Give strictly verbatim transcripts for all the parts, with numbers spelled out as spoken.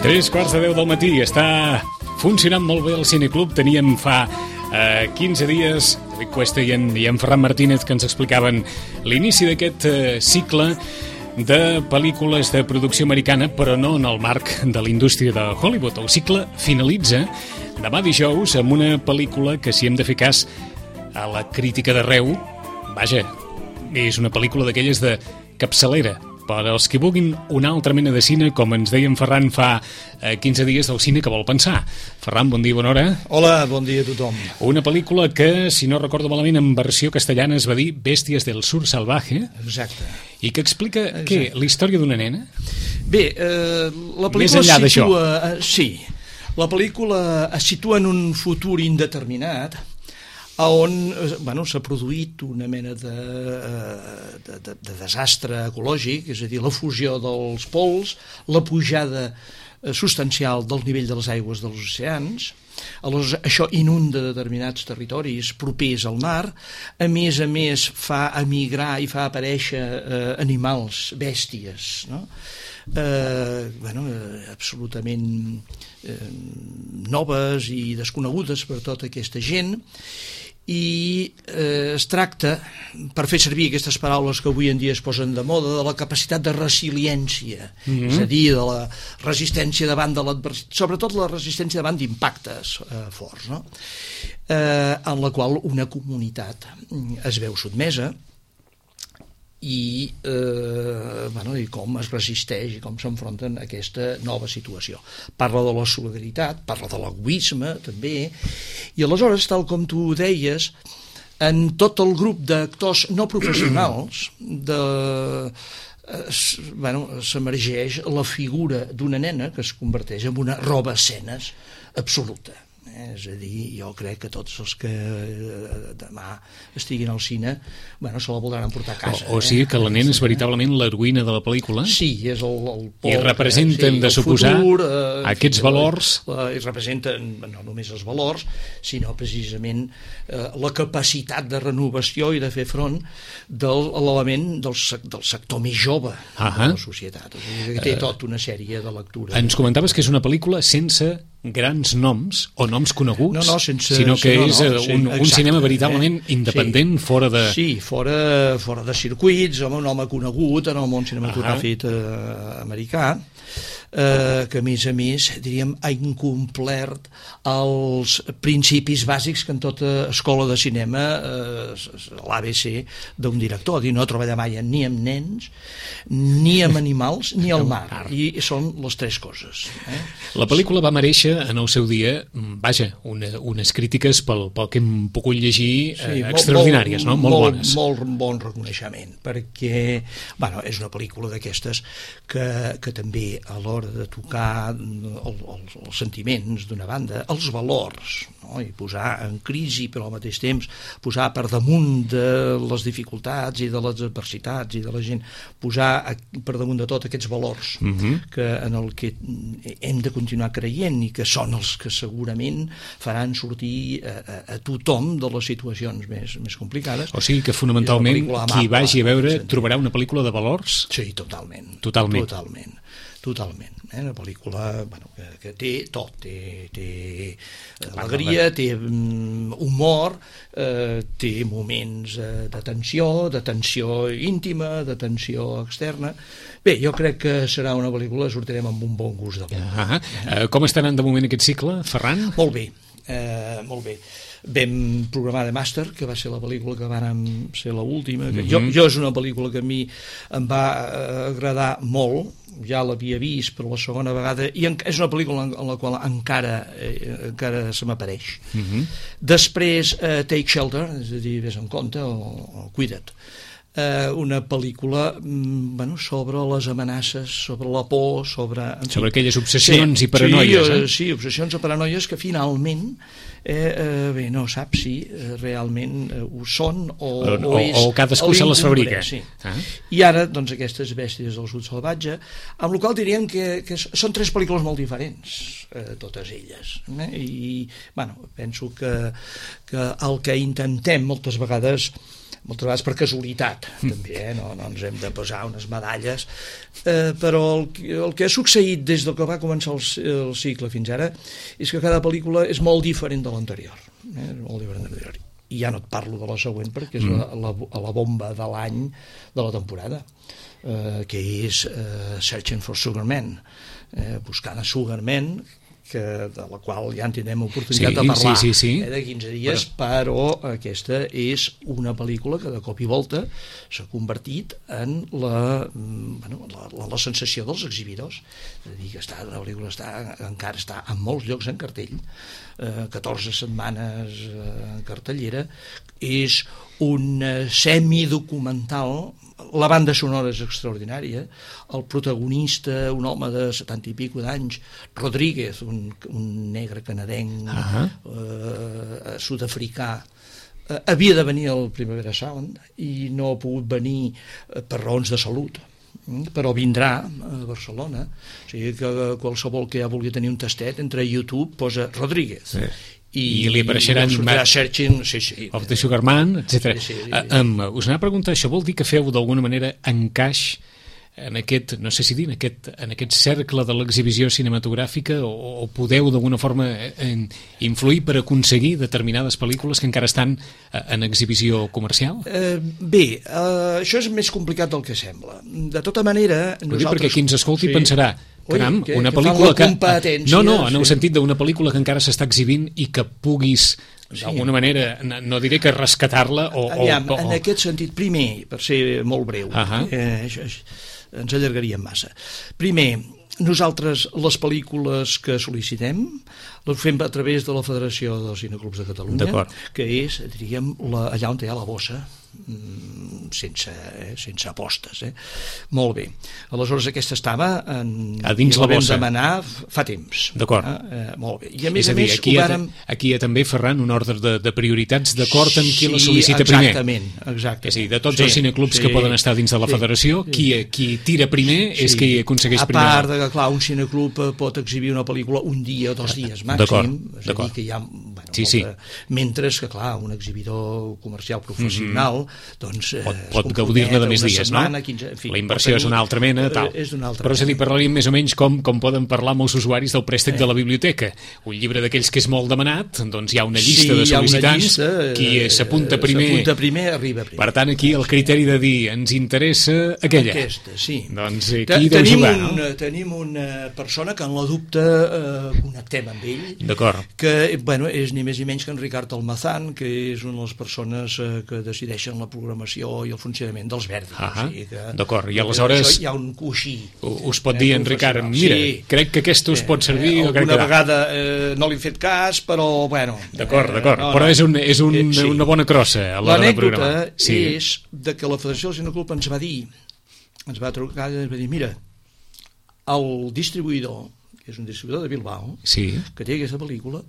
Tres quarts de deu del matí. Està funcionant molt bé el Cineclub. Teníem fa eh, quinze dies David Cuesta i en, i en Ferran Martínez que ens explicaven l'inici d'aquest eh, cicle de pel·lícules de producció americana, però no en el marc de la indústria de Hollywood. El cicle finalitza demà dijous amb una pel·lícula que, si hem de fer cas a la crítica d'arreu, vaja, és una pel·lícula d'aquelles de capçalera. Per als que vulguin una altra mena de cine, com ens deia en Ferran fa eh, quinze dies, del cine que vol pensar. Ferran, bon dia, bona hora. Hola, bon dia a tothom. Una pel·lícula que, si no recordo malament, en versió castellana es va dir Bèsties del Sur Salvaje. Exacte. I que explica, Exacte. què, la història d'una nena? Bé, eh, la pel·lícula Més enllà es situa... d'això. Eh, sí, la pel·lícula es situa en un futur indeterminat on bueno, s'ha produït una mena de, de, de, de desastre ecològic, és a dir, la fusió dels pols, la pujada substancial del nivell de les aigües dels oceans. Aleshores, això inunda determinats territoris propers al mar, a més a més fa emigrar i fa aparèixer eh, animals, bèsties, no? Eh, bueno, eh, absolutament eh, noves i desconegudes per tota aquesta gent, i eh, es tracta, per fer servir aquestes paraules que avui en dia es posen de moda, de la capacitat de resiliència, mm-hmm. és a dir, de la resistència davant de l'adversitat, sobretot la resistència davant d'impactes eh, forts, no? eh, en la qual una comunitat es veu sotmesa i, eh, bueno, i com es resisteix i com s'enfronten a aquesta nova situació. Parla de la solidaritat, parla de l'egoisme també, i aleshores, tal com tu deies, en tot el grup d'actors no professionals de, eh, bueno, s'emergeix la figura d'una nena que es converteix en una roba escenes absoluta. És a dir, jo crec que tots els que demà estiguin al cine, bueno, se la voldran emportar a casa. O, o sigui que la nena és veritablement l'heroïna de la pel·lícula? Sí, és el, el pol, I representen, sí, de suposar, futur, eh, aquests valors... La, I representen no només els valors, sinó precisament eh, la capacitat de renovació i de fer front de l'element del, del sector més jove uh-huh. de la societat. O sigui, que té tota una sèrie de lectures. Ens comentaves que és una pel·lícula sense grans noms o noms coneguts, no, no, sense, sinó que no, no, és sí, un, exacte, un cinema veritablement eh? independent, sí. fora de... Sí, fora, fora de circuits, home, un home conegut en el món cinematogràfic uh-huh. eh, americà, eh, que a més a més, diríem, ha incomplert els principis bàsics que en tota escola de cinema, eh, l'A B C d'un director, dir, no treballar mai ni amb nens, ni amb animals, ni al mar, i són les tres coses. Eh? La pel·lícula va merèixer en el seu dia, vaja, una, unes crítiques pel, pel que hem pogut llegir eh, sí, extraordinàries, molt, no? Molt, molt bones. Molt, molt bon reconeixement, perquè bueno, és una pel·lícula d'aquestes que, que també a l'hora de tocar el, els, els sentiments d'una banda, els valors, no? I posar en crisi, però al mateix temps posar per damunt de les dificultats i de les adversitats i de la gent, posar per damunt de tot aquests valors uh-huh. que en el que hem de continuar creient i que són els que segurament faran sortir a, a, a tothom de les situacions més, més complicades. O sigui que fonamentalment qui vagi a veure trobarà una pel·lícula de valors? Sí, totalment. Totalment. Totalment. Totalment. Eh? Una pel·lícula bueno, que, que té tot, té, té alegria, té um, humor, eh, té moments eh, de tensió, de tensió íntima, de tensió externa. Bé, jo crec que serà una pel·lícula, sortirem amb un bon gust de boca. Uh-huh. eh, com està anant de moment aquest cicle, Ferran? Molt bé, eh, molt bé. Vam programar The Master, que va ser la pel·lícula que vàrem ser l'última. Uh-huh. Jo, jo és una pel·lícula que a mi em va agradar molt, ja l'havia vist per la segona vegada, i és una pel·lícula en la qual encara, eh, encara se m'apareix. Uh-huh. Després, eh, Take Shelter, és a dir, vés en compte, o, o Cuida't. Eh, una pel·lícula bueno, sobre les amenaces, sobre la por, sobre... Sobre aquelles obsessions sí, i paranoies. Sí, eh? sí, obsessions i paranoies que finalment eh, eh, bé, no saps si eh, realment eh, ho són o, o, o, o, és... o cadascú se les fabrica. Sí. Ah. I ara, doncs, aquestes bèsties del sud salvatge, amb la qual diríem que, que són tres pel·lícules molt diferents, eh, totes elles. Eh? I, bueno, penso que, que el que intentem moltes vegades moltes vegades per casualitat, mm. també, eh? no, no ens hem de posar unes medalles, eh, però el, el que ha succeït des del que va començar el, el cicle fins ara és que cada pel·lícula és molt diferent de l'anterior, eh? molt diferent de l'anterior. I ja no et parlo de la següent perquè és mm. la, la, la bomba de l'any de la temporada, eh, que és eh, Searching for Sugar Man, eh, buscant a Sugar Man, que, de la qual ja en tindrem oportunitat sí, de parlar sí, sí, sí. Eh, de quinze dies, però... però aquesta és una pel·lícula que de cop i volta s'ha convertit en la, bueno, la, la, la sensació dels exhibidors. És a dir, que està, la pel·lícula està, encara està en molts llocs en cartell, eh, catorze setmanes eh, en cartellera, és un semidocumental. La banda sonora és extraordinària, el protagonista, un home de setanta i pico d'anys, Rodríguez, un, un negre canadenc, uh-huh. eh, sud-africà, eh, havia de venir al Primavera Sound i no ha pogut venir eh, per raons de salut, però vindrà a Barcelona. O sigui que qualsevol que ja vulgui tenir un tastet, entre YouTube posa Rodríguez. Sí. I, I li apareixeran Searching, sí, sí. of the Sugar Man, etcètera. Sí, sí, sí. Uh, um, us anava a preguntar, això vol dir que feu d'alguna manera encaix en aquest, no sé si dir, en aquest, en aquest cercle de l'exhibició cinematogràfica o, o podeu d'alguna forma en, influir per aconseguir determinades pel·lícules que encara estan en exhibició comercial? Eh, bé, eh, això és més complicat del que sembla. De tota manera... Nosaltres... Perquè qui ens escolti sí. pensarà caram, Ui, que, una que pel·lícula que... No, no, en el sí. sentit d'una pel·lícula que encara s'està exhibint i que puguis, sí. d'alguna manera, no diré que rescatar-la o... Aviam, o, o... en aquest sentit, primer, per ser molt breu, uh-huh. eh, això, ens allargaríem massa. Primer, nosaltres les pel·lícules que sol·licitem les fem a través de la Federació dels Cineclubs de Catalunya, que és, diríem, la, allà on hi ha la bossa, sense, eh, sense apostes, eh? Molt bé. Aleshores aquesta estava en, a dins la, la bossa. Vam demanar fa temps. D'acord. Eh? Eh, molt bé. I a més és a, dir, a més aquí, vàrem... ha, aquí hi ha també, Ferran, un ordre de, de prioritats d'acord amb qui sí, la sol·licita exactament, primer. Exactament. És a dir, de tots sí, els cineclubs sí, que poden estar dins de la sí, federació, sí. Qui, qui tira primer sí. és qui aconsegueix primer. A part de que, clar, un cineclub pot exhibir una pel·lícula un dia o dos dies màxim, és a dir que hi ha... Bueno, sí, sí. Molta, mentre que, clar, un exhibidor comercial professional mm-hmm. doncs... Pot, pot gaudir-ne de més dies, setmana, no? quinze, en fi, la inversió és una altra mena, tal. És una altra Però és a dir, parlaríem més o menys com, com poden parlar molts usuaris del préstec eh. de la biblioteca. Un llibre d'aquells que és molt demanat, doncs hi ha una llista sí, de sol·licitants, llista, qui s'apunta primer... S'apunta primer, arriba primer. Per tant, aquí el criteri de dir ens interessa aquella. Aquesta, sí. Doncs aquí deu tenim jugar, un, no? Tenim una persona que en la dubte eh, connectem amb ell. D'acord. Que, bueno, és ni més ni menys que en Ricard Almazán, que és una de les persones eh, que decideixen la programació i el funcionament dels Verdi. Ah, o sigui que, d'acord, i aleshores hi ha un coixí. Us pot dir en Ricard, mira, sí, crec que aquest us pot servir eh, o crec que... Alguna vegada eh, no li he fet cas, però bueno... D'acord, d'acord, eh, no, però no. és, un, és un, eh, sí. una bona crossa a l'hora de programar. L'anècdota sí. és de que la Federació del Cineclub ens va dir, ens va trucar i ens va dir, mira, el distribuïdor, que és un distribuïdor de Bilbao, sí. que té aquesta pel·lícula,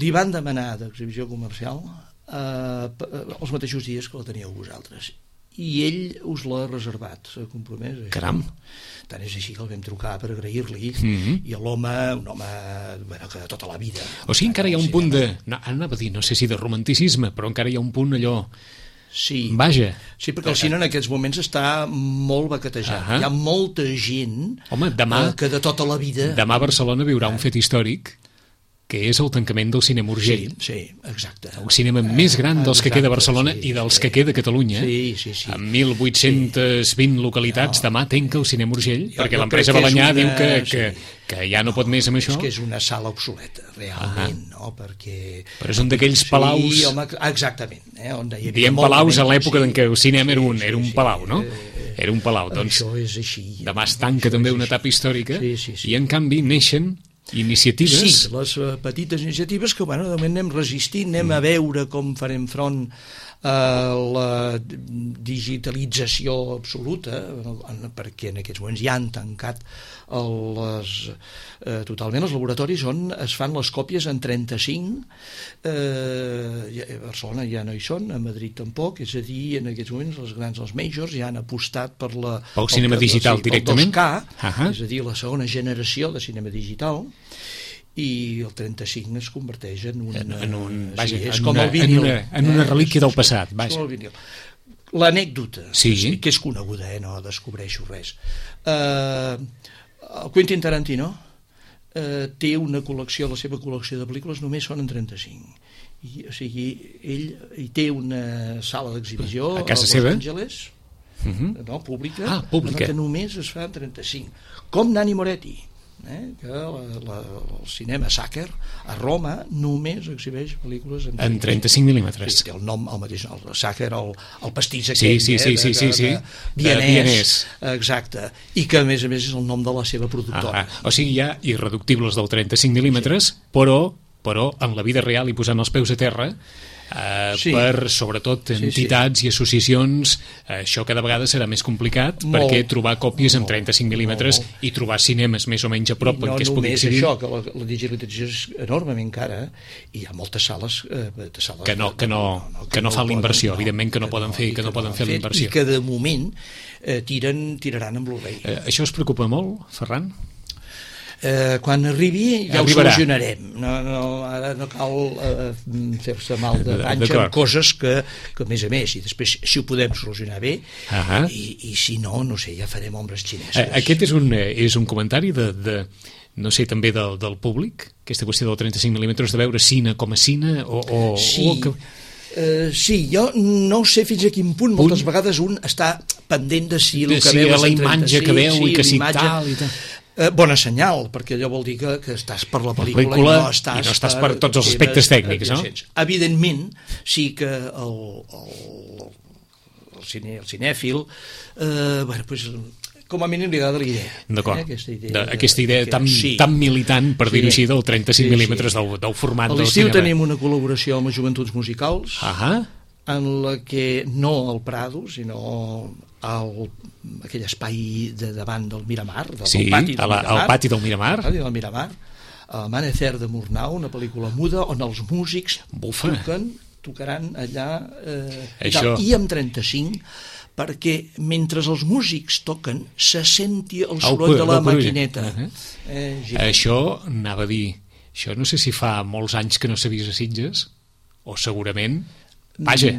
li van demanar d'exhibició comercial eh, els mateixos dies que la teníeu vosaltres. I ell us l'ha reservat, s'ha compromès. Caram. Tant és així que el vam trucar per agrair-li, mm-hmm. i l'home, un home bueno, que tota la vida... O sigui, encara hi ha un punt de... No, anava a dir, no sé si de romanticisme, però encara hi ha un punt allò... Sí. Vaja. Sí, perquè el cine en aquests moments està molt baquetejat. Uh-huh. Hi ha molta gent Home, demà, eh, que de tota la vida... Demà a Barcelona viurà un fet històric que és el tancament del cinema Urgell. Sí, sí, exacte. El cinema més gran dels exacte, que queda a Barcelona sí, i dels sí. que queda a Catalunya. Sí, sí, sí. Amb mil vuit-cents vint sí. localitats, no. demà tanca el cinema Urgell, jo, perquè l'empresa Balanyà una... diu que, que, sí. que ja no, no pot més amb això. És que és una sala obsoleta, realment, ah. no? Perquè... Però és un d'aquells palaus... Sí, home, exactament. Eh? On hi Diem palaus a l'època sí. en què el cinema era un, era un palau, no? Era un palau, doncs... Això és així. Demà es tanca també una etapa històrica sí, sí, sí. i en canvi neixen iniciatives... Sí, les uh, petites iniciatives que, bueno, de moment anem resistint, anem mm. a veure com farem front a la digitalització absoluta, perquè en aquests moments ja han tancat les, eh, totalment els laboratoris on es fan les còpies en trenta-cinc, eh, a Barcelona ja no hi són, a Madrid tampoc, és a dir, en aquests moments els grans, els majors, ja han apostat per la... Pel cinema digital sí, directament? Pel dos K, uh-huh. és a dir, la segona generació de cinema digital, i el trenta-cinc es converteix en un... En, en un vaja, sí, és en com una, el vinil. En una, en una relíquia del passat, vaja. Com el vinil. l'anècdota, sí. que és coneguda, eh? No descobreixo res. Uh, el Quentin Tarantino uh, té una col·lecció, la seva col·lecció de pel·lícules només són en trenta-cinc. I, o sigui, ell hi té una sala d'exhibició a casa a Los seva? Angeles, uh-huh. no, pública, ah, pública, que només es fa en trenta-cinc. Com Nanni Moretti, eh? que la, la, el cinema Sacher a Roma només exhibeix pel·lícules en, en trenta-cinc mil·límetres. Sí, té el nom el mateix, el Sacher, el, el pastís sí, aquell, sí, sí, eh? sí, de, sí, sí. de, de vienès, vienès, exacte, i que a més a més és el nom de la seva productora. Ah, o sigui, hi ha irreductibles del trenta-cinc mil·límetres, sí. però però en la vida real i posant els peus a terra eh, sí. per, sobretot, entitats sí, sí. i associacions, eh, això cada vegada serà més complicat, molt, perquè trobar còpies en trenta-cinc mil·límetres i trobar cinemes més o menys a prop no en què es pugui exhibir. No només això, que la, la digitalització és enormement cara, i hi ha moltes sales, eh, de sales que no, que no, no, no, que no, no fan l'inversió, no, evidentment que no que poden no, fer, que, que no poden fer la inversió. I que de moment eh, tiren, tiraran amb Blu-ray. Eh, això us preocupa molt, Ferran? Eh, quan arribi ja Arribarà. Ho solucionarem, no, no, ara no cal eh, fer-se mal de panxa amb coses que, que a més a més, i després si ho podem solucionar bé, uh-huh. i, i si no, no sé, ja farem ombres xineses. Eh, aquest és un, és un comentari de, de no sé, també del, del públic, aquesta qüestió del trenta-cinc mil·límetres, de veure cine com a cine o... o sí. o que... Uh, sí, jo no sé fins a quin punt, punt moltes vegades un està pendent de si el de que si veu la imatge que veu sí, i que si tal i tal. Eh, bona senyal, perquè allò vol dir que, que estàs per la pel·lícula, la pel·lícula i, no estàs, i no estàs per, per tots els aspectes tècnics, no? Evidentment, sí que el, el, el, cine, el cinèfil eh, bueno, pues, com a mínim li agrada la idea. D'acord, eh, aquesta idea, de, aquesta idea tan, sí. tan militant, per sí. dir-ho així, del trenta-cinc sí, mil·límetres sí. del, del format del cinema. A l'estiu tenim una col·laboració amb les Joventuts Musicals, uh-huh. en la que no al Prado, sinó al, aquell espai de davant del Miramar, del, sí, del pati del la, Miramar, al pati del Miramar, el pati del Miramar, Amanecer de Murnau, una pel·lícula muda on els músics Bufa. toquen, tocaran allà eh, Això... i amb trenta-cinc, perquè mentre els músics toquen se senti el soroll de la maquineta. Uh-huh. eh, Això anava a dir, això no sé si fa molts anys que no s'ha vist a Sitges, o segurament, vaja,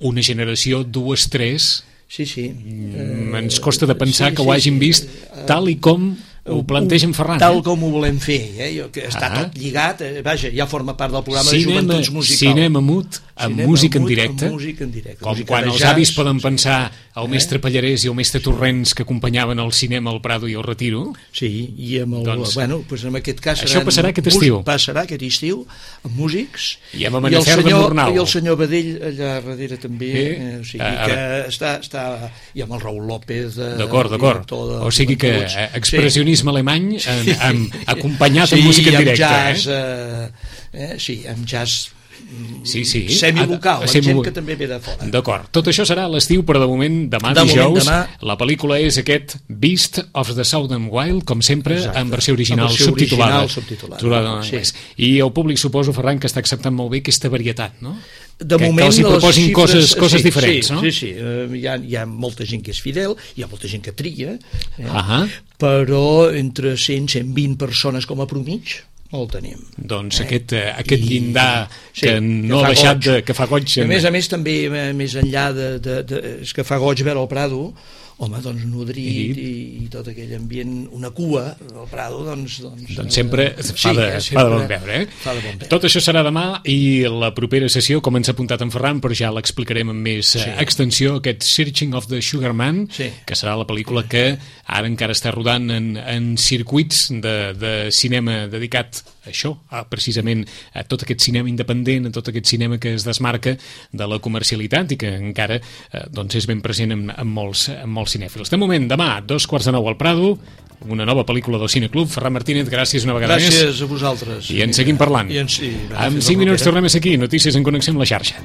una generació, dues, tres... Sí, sí. Mm, ens costa de pensar sí, que ho hagin sí, vist tal i com ho planteja en Ferran. Tal com ho volem fer, eh? que està ah. tot lligat, eh? Vaja, ja forma part del programa cinema, de Joventuts Musicals. Cinema mut, amb cinema música en directe, amb música en directe. Com música quan els jazz, avis poden pensar el eh? mestre Pallarès i el mestre Torrents que acompanyaven el cinema al Prado i el Retiro. Sí, i amb el, doncs, bueno, pues en aquest cas això passarà aquest estiu. Passarà aquest estiu, amb músics, i amb Amanecer de Murnau. I el senyor Badell allà darrere també, eh? Eh, o sigui a, que a, està, està, i amb el Raül López, eh, d'acord, d'acord, o sigui que eh, expressionisme sí. alemany en, amb, acompanyat sí, amb música en directe. Jazz, eh? Eh, eh, sí, amb jazz sí, sí. semivocal, amb gent que també ve de fora. D'acord, tot això serà a l'estiu, però de moment demà de dijous, moment, demà... la pel·lícula és aquest Beast of the Southern Wild, com sempre, exacte. en versió original, versió subtitulada, original subtitulada. Sí. I el públic, suposo, Ferran, que està acceptant molt bé aquesta varietat, no? De que, moment, que els hi proposin xifres, coses, coses sí, diferents, sí, no? Sí, sí, uh, hi, ha, hi ha molta gent que és fidel, hi ha molta gent que tria, eh? uh-huh. però entre cent i cent vint persones com a promig, el tenim. Doncs eh? aquest, uh, aquest llindar I, que sí, no que ha deixat de, que fa goig. A més a més també, més enllà de, de, de, és que fa goig veure el Prado, home, doncs nodrit i, i tot aquell ambient, una cua del Prado, doncs... Doncs, doncs sempre fa, sí, de, sempre fa de bon veure, eh? Fa de bon veure. Tot això serà demà i la propera sessió, com ens ha apuntat en Ferran, però ja l'explicarem amb més sí. extensió, aquest Searching of the Sugar Man, sí. que serà la pel·lícula que ara encara està rodant en, en circuits de, de cinema dedicat a això, a, precisament a tot aquest cinema independent, a tot aquest cinema que es desmarca de la comercialitat i que encara eh, doncs és ben present en, en, molts, en molts cinèfils. De moment, demà, dos quarts de nou al Prado, una nova pel·lícula del Cineclub. Ferran Martínez, gràcies una vegada gràcies més. Gràcies a vosaltres. I en seguim parlant. I en, sí, en cinc minuts tornem a ser aquí, notícies en connexió amb la xarxa.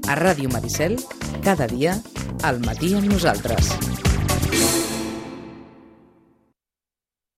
A Ràdio Maricel, cada dia, Al matí amb nosaltres.